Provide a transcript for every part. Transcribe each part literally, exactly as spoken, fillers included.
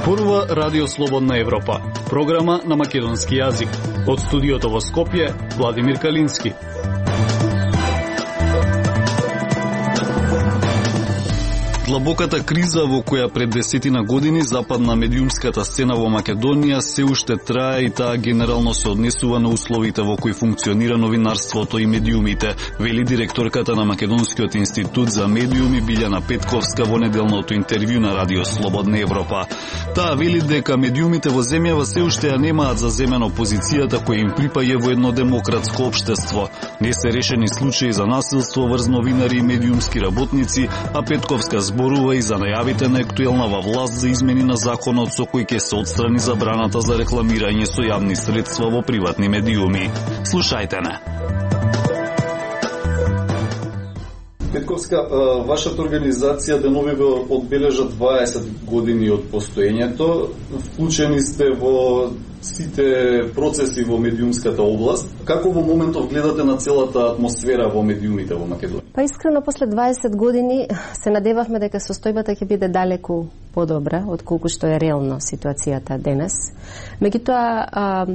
Зборува Радио Слободна Европа, програма на македонски јазик. Од студиото во Скопје, Владимир Калински. Длабоката криза во која пред десетина години западна медиумската сцена во Македонија се уште трае и таа генерално се однесува на условите во кои функционира новинарството и медиумите, вели директорката на Македонскиот институт за медиуми Билјана Петковска во неделното интервју на Радио Слободна Европа. Таа вели дека медиумите во земјава се уште ја немаат заземено позицијата која им припаѓа во едно демократско општество. Не се решени случаи за насилство врз новинари и медиумски работници, а Петковска зборува и за најавите на актуелнава власт за измени на законот со кој ќе се отстрани забраната за рекламирање со јавни средства во приватни медиуми. Слушајте не. Петковска, вашата организација деновиве одбележа дваесет години од постоењето. Вклучени сте во сите процеси во медиумската област. Како во моментов гледате на целата атмосфера во медиумите во Македонија? Па искрено, после дваесет години се надевавме дека состојбата ќе биде далеку подобра од колку што е реално ситуацијата денес. Меѓутоа,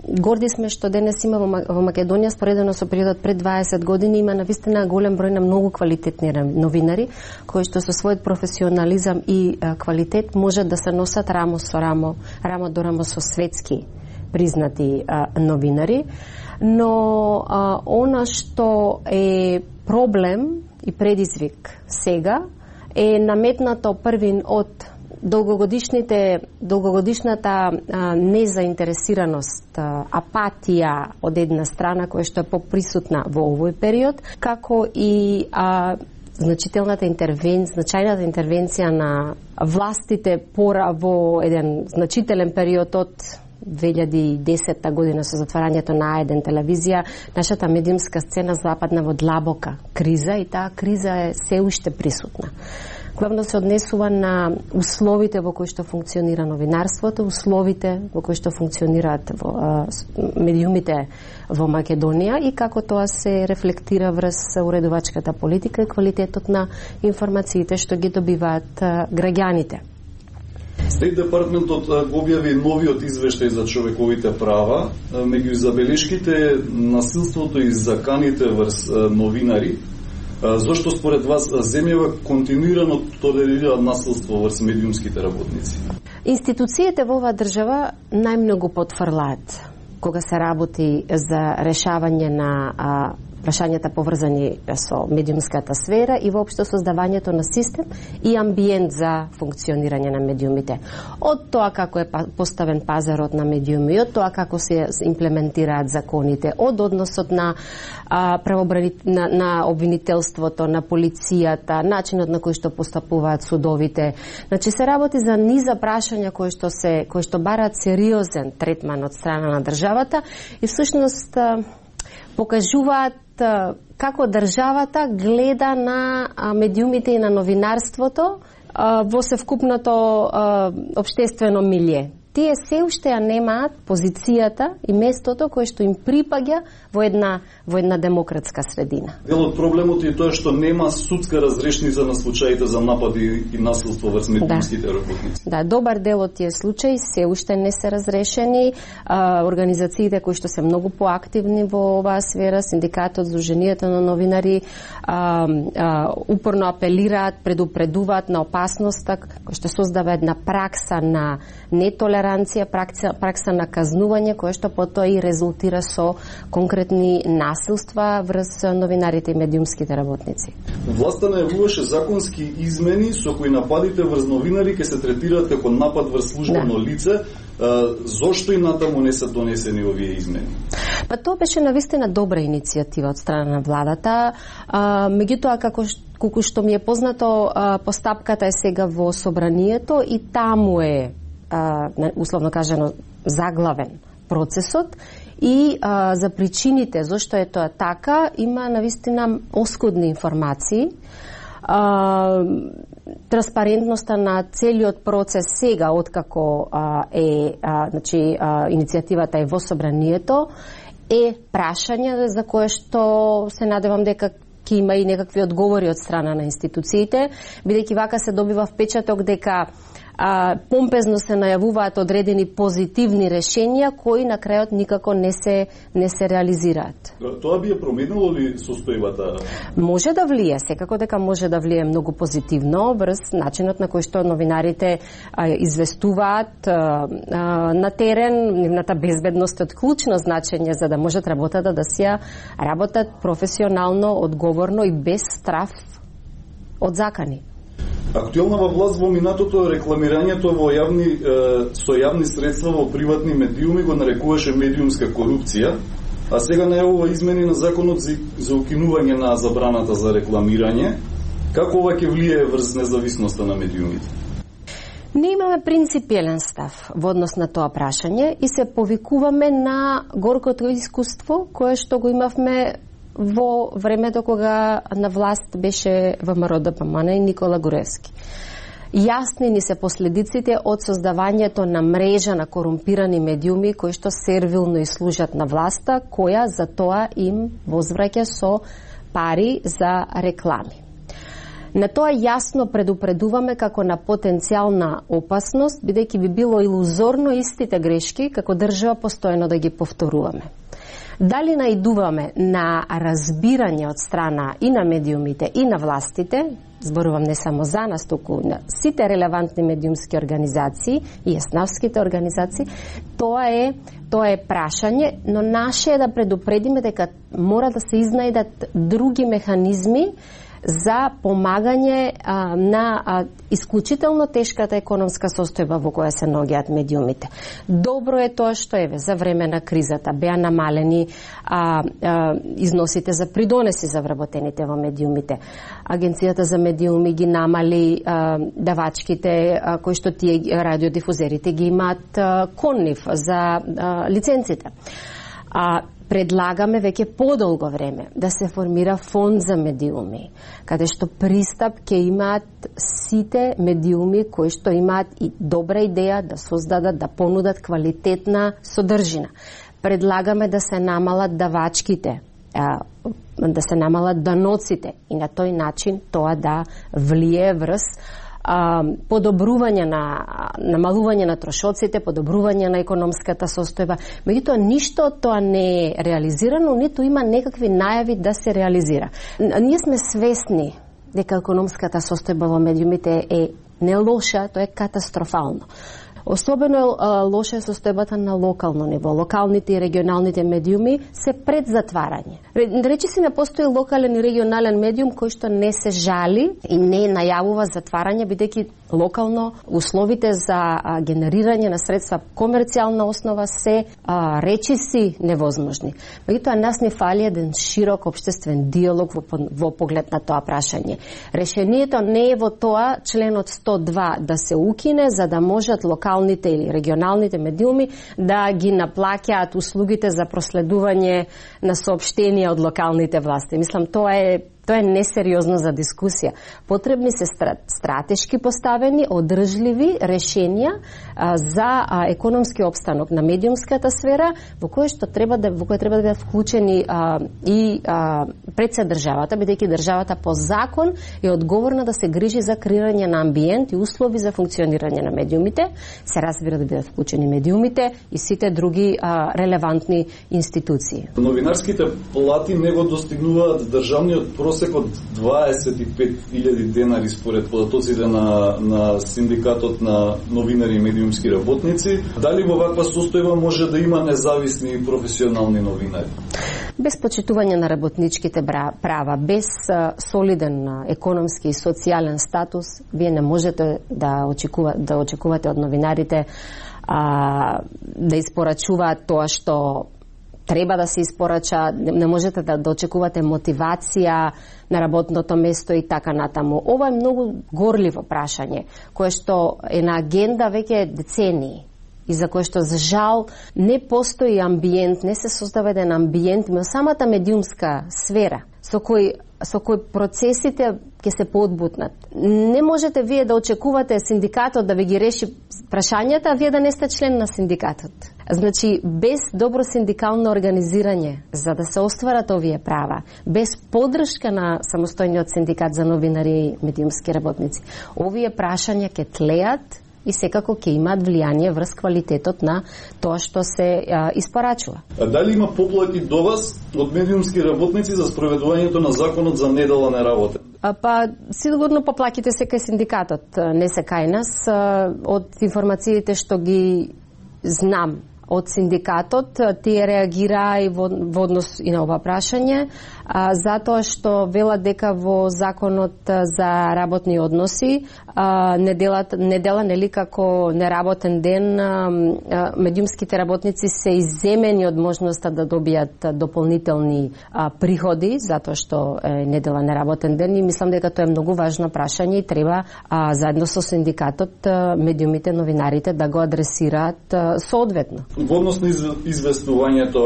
горди сме што денес има во Македонија, споредено со периодот пред дваесет години, има навистина голем број на многу квалитетни новинари кои што со својот професионализам и квалитет можат да се носат рамо со рамо, рамо до рамо со светски признати а, новинари. Но а, она што е проблем и предизвик сега е наметнато првин од долгогодишните долгогодишната а, незаинтересираност, а, апатија од една страна која што е поприсутна во овој период, како и а, значителната интервенција, значајната интервенција на властите пора во еден значителен период од две илјади и десета година со затварањето на А еден телевизија. Нашата медиумска сцена западна во длабока криза и таа криза е се уште присутна. Главно се однесува на условите во кои што функционира новинарството, условите во кои што функционираат во, а, медиумите во Македонија и како тоа се рефлектира врз уредувачката политика и квалитетот на информациите што ги добиваат а, граѓаните. Стейт Департментот го објави новиот извештај за човековите права. Меѓу забелешките насилството и заканите врз новинари. Зошто според вас земјава континуирано толерира насилство врз медиумските работници? Институциите во оваа држава најмногу потврлаат кога се работи за решавање на а, прашањата поврзани со медиумската сфера и воопшто создавањето на систем и амбиент за функционирање на медиумите. Од тоа како е поставен пазарот на медиуми, од тоа како се имплементираат законите, од односот на а, правобрани... на, на обвинителството, на полицијата, начинот на кој што постапуваат судовите. Значи се работи за низа прашања кои што се кои што бараат сериозен третман од страна на државата и всушност покажуваат како државата гледа на медиумите и на новинарството во севкупното општествено милје. Тие се уште ја немаат позицијата и местото кое што им припаѓа во една во една демократска средина. Дел од проблемот е тоа што нема судска разрешница на случаите за напади и насилство врз медиумските да. работници. Да, добар дел од тие случаи се уште не се разрешени. А, организациите кои што се многу поактивни во оваа сфера, синдикатот, Сдруженијата на новинари, а, а, упорно апелираат, предупредуваат на опасноста која што создава една пракса на нетолеранција, пракса, пракса на казнување, кое што потоа и резултира со конкретни насилства врз новинарите и медиумските работници. Власта најавуваше законски измени со кои нападите врз новинари ќе се третираат како напад врз службено да. лице. Зошто и натаму не се донесени овие измени? Па тоа беше навистина добра иницијатива од страна на владата. А, меѓутоа, како колку што ми е познато, а, постапката е сега во собранието и таму е а, условно кажано заглавен процесот. И а, за причините зашто е тоа така, има навистина оскудни информации. А, транспарентноста на целиот процес сега, откако а, е а, значи, а, иницијативата е во собранието, е прашање за кое што се надевам дека ќе има и некакви одговори од страна на институциите, бидејќи вака се добива впечаток дека а, помпезно се најавуваат одредени позитивни решенија кои на крајот никако не се не се реализираат. Тоа би ја променило ли состојбата? Може да влие, секако дека може да влие многу позитивно врз начинот на кој што новинарите а, известуваат а, а, на терен. Нивната безбедност е од клучно значење за да можат работата да се работат професионално, одговорно и без страф од закани. Актуелна власт во минатото рекламирањето во јавни е, со јавни средства во приватни медиуми го нарекуваше медиумска корупција, а сега најавува измени на законот за, за укинување на забраната за рекламирање. Како ова ќе влие врз независноста на медиумите? Ние имаме принципиелен став во однос на тоа прашање и се повикуваме на горкото искуство кое што го имавме во времето кога на власт беше ВМРО Д П М Н и Никола Груевски. Јасни ни се последиците од создавањето на мрежа на корумпирани медиуми кои што сервилно и служат на власта, која за тоа им возвраќа со пари за реклами. На тоа јасно предупредуваме како на потенцијална опасност, бидејќи би било илузорно истите грешки како држава постојано да ги повторуваме. Дали наидуваме на разбирање од страна и на медиумите и на властите, зборувам не само за нас, туку на сите релевантни медиумски организации и еснавските организации, тоа е тоа е прашање, но наше е да предупредиме дека мора да се изнајдат други механизми за помагање а, на а, исклучително тешката економска состојба во која се наоѓаат медиумите. Добро е тоа што еве за време на кризата беа намалени а, а, износите за придонеси за вработените во медиумите. Агенцијата за медиуми ги намали а, давачките а, кои што тие радиодифузерите ги имаат а, коннив за а, лиценците. А предлагаме веќе подолго време да се формира фонд за медиуми, каде што пристап ќе имаат сите медиуми кои што имаат и добра идеја да создадат, да понудат квалитетна содржина. Предлагаме да се намалат давачките, да се намалат даноците и на тој начин тоа да влие врз А, подобрување на намалување на трошоците, подобрување на економската состојба. Меѓутоа ништо од тоа не е реализирано, ниту има некакви најави да се реализира. Ние сме свесни дека економската состојба во медиумите е не лоша, тоа е катастрофално. Особено е лоша е состојбата на локално ниво. Локалните и регионалните медиуми се пред затварање. Речи си не постои локален и регионален медиум кој што не се жали и не најавува затварање, бидејќи локално условите за а, генерирање на средства комерцијална основа се а, речиси невозможни. Меѓутоа нас не фали еден широк општествен диалог во, во поглед на тоа прашање. Решението не е во тоа членот сто два да се укине за да можат локалните или регионалните медиуми да ги наплаќаат услугите за проследување на соопштенија од локалните власти. Мислам, тоа е Тоа е несериозно за дискусија. Потребни се стратешки поставени, одржливи решенија а, за а, економски опстанок на медиумската сфера, во која што треба да во која треба да бидат вклучени а, и а, пред се државата, бидејќи државата по закон е одговорна да се грижи за креирање на амбиент и услови за функционирање на медиумите. Се разбира да бидат вклучени медиумите и сите други а, релевантни институции. Новинарските плати не го достигнуваат државниот просек од дваесет и пет илјади денари според податоците на, на синдикатот на новинари и медиумски работници. Дали во ваква состојба може да има независни и професионални новинари? Без почитување на работничките права, без солиден економски и социјален статус, вие не можете да очекувате, да очекувате од новинарите а, да испорачуваат тоа што треба да се испорача, не можете да, да очекувате мотивација на работното место и така натаму. Ова е многу горливо прашање, кое што е на агенда веќе децении и за кое што за жал не постои амбиент, не се создава еден амбиент во самата медиумска сфера со кој со кој процесите ќе се поодбутнат. Не можете вие да очекувате синдикатот да ви ги реши прашањата, а вие да не сте член на синдикатот. Значи, без добро синдикално организирање, за да се остварат овие права, без поддршка на самостојниот синдикат за новинари и медиумски работници, овие прашања ќе тлеат и секако ќе имаат влијание врз квалитетот на тоа што се а, испорачува. А дали има поплаки до вас од медиумски работници за спроведувањето на законот за недела не работен? А, па, сигурно поплаките се кај синдикатот, не се кај нас. А, од информациите што ги знам од синдикатот, тие реагираа и во, во однос и на ова прашање, а, затоа што велат дека во законот за работни односи а, неделата, недела нели како неработен ден, а, а, медиумските работници се изземени од можноста да добијат дополнителни а, приходи, затоа што е недела неработен ден, и мислам дека тоа е многу важно прашање и треба а, заедно со синдикатот а, медиумите, новинарите да го адресираат а, соодветно. Во однос на известувањето,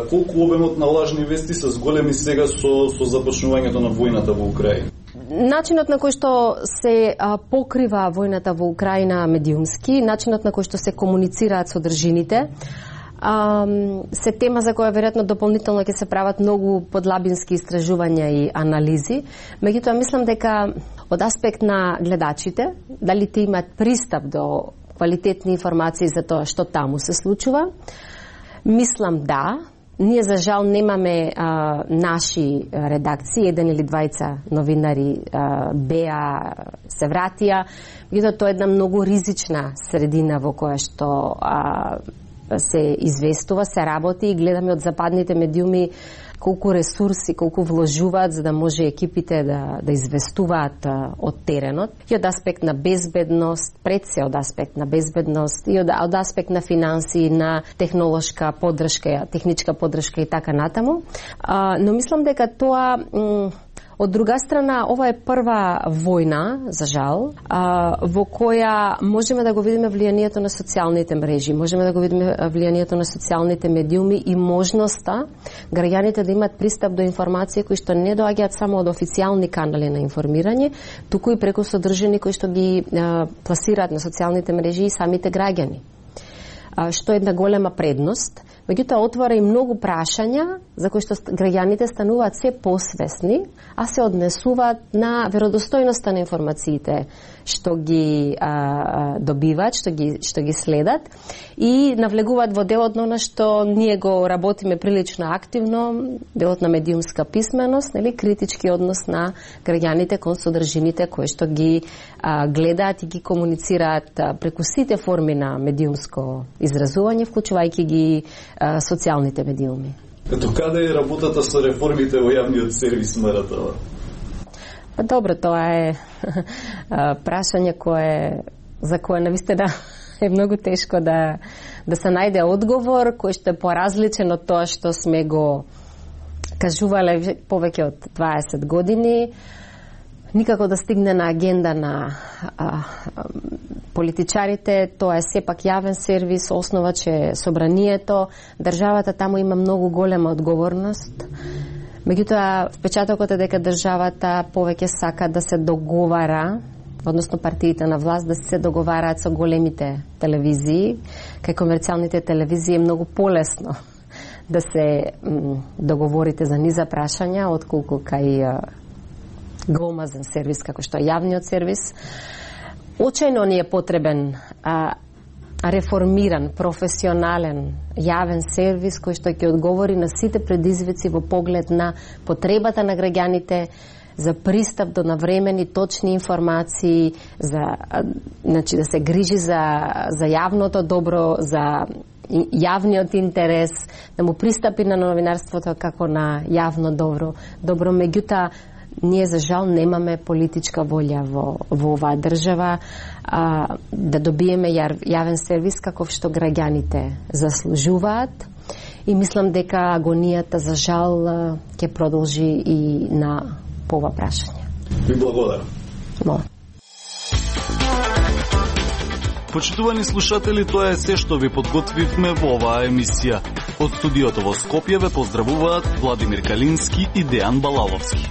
колку обемот на лажни вести се зголеми сега со, со започнувањето на војната во Украина? Начинот на кој што се а, покрива војната во Украина медиумски, начинот на кој што се комуницираат содржините, а, се тема за која веројатно дополнително ќе се прават многу подлабински истражувања и анализи. Меѓутоа мислам дека од аспект на гледачите, дали те имаат пристап до квалитетни информации за тоа што таму се случува, мислам да. Ние за жал немаме а, наши редакции, еден или двајца новинари а, беа, се вратија. Меѓутоа тоа е една многу ризична средина во која што а, се известува, се работи, и гледаме од западните медиуми колку ресурси, колку вложуваат за да може екипите да, да известуваат а, од теренот, и од аспект на безбедност, пред се од аспект на безбедност, и од, од аспект на финанси, на технолошка подршка, техничка подршка и така натаму. А, но мислам дека тоа... М- Од друга страна, ова е прва војна, за жал, а, во која можеме да го видиме влијанието на социјалните мрежи, можеме да го видиме влијанието на социјалните медиуми и можноста граѓаните да имат пристап до информации кои што не доаѓаат само од официјални канали на информирање, туку и преку содржини кои што ги а, пласираат на социјалните мрежи и самите граѓани. А, што е една голема предност. Меѓутоа отвора и многу прашања за кои што граѓаните стануваат се посвесни, а се однесуваат на веродостојноста на информациите што ги а, добиваат, што ги што ги следат, и навлегуваат во делот на што ние го работиме прилично активно, делот на медиумска писменост, нели, критички однос на граѓаните кон содржините кои што ги а, гледаат и ги комуницираат а, преку сите форми на медиумско изразување, вклучувајќи ги а, социјалните медиуми. Като каде е работата со реформите во јавниот сервис, Маратова? Па добро, тоа е прашање кое, за кое навистина е многу тешко да, да се најде одговор кој што е поразличен од тоа што сме го кажувале повеќе од дваесет години. Никако да стигне на агенда на а, а, политичарите, тоа е сепак јавен сервис, основач е собранието, државата таму има многу голема одговорност. Меѓутоа, впечатокот е дека државата повеќе сака да се договара, односно партиите на власт да се договараат со големите телевизии. Кај комерцијалните телевизии е многу полесно да се м, договорите за низа прашања, отколку кај гомазен сервис, како што е јавниот сервис. Очајно ни е потребен а, реформиран, професионален, јавен сервис кој што ќе одговори на сите предизвици во поглед на потребата на граѓаните за пристап до навремени, точни информации, за, значи, да се грижи за, за јавното добро, за јавниот интерес, да му пристапи на новинарството како на јавно добро. Добро, меѓутоа, ние за жал немаме политичка волја во, во оваа држава а, да добиеме јар, јавен сервис каков што граѓаните заслужуваат, и мислам дека агонијата за жал ќе продолжи и на по ова прашање. Ви благодарам. Молам. Почитувани слушатели, тоа е се што ви подготвивме во оваа емисија. Од студиото во Скопје ве поздравуваат Владимир Калински и Дејан Балаловски.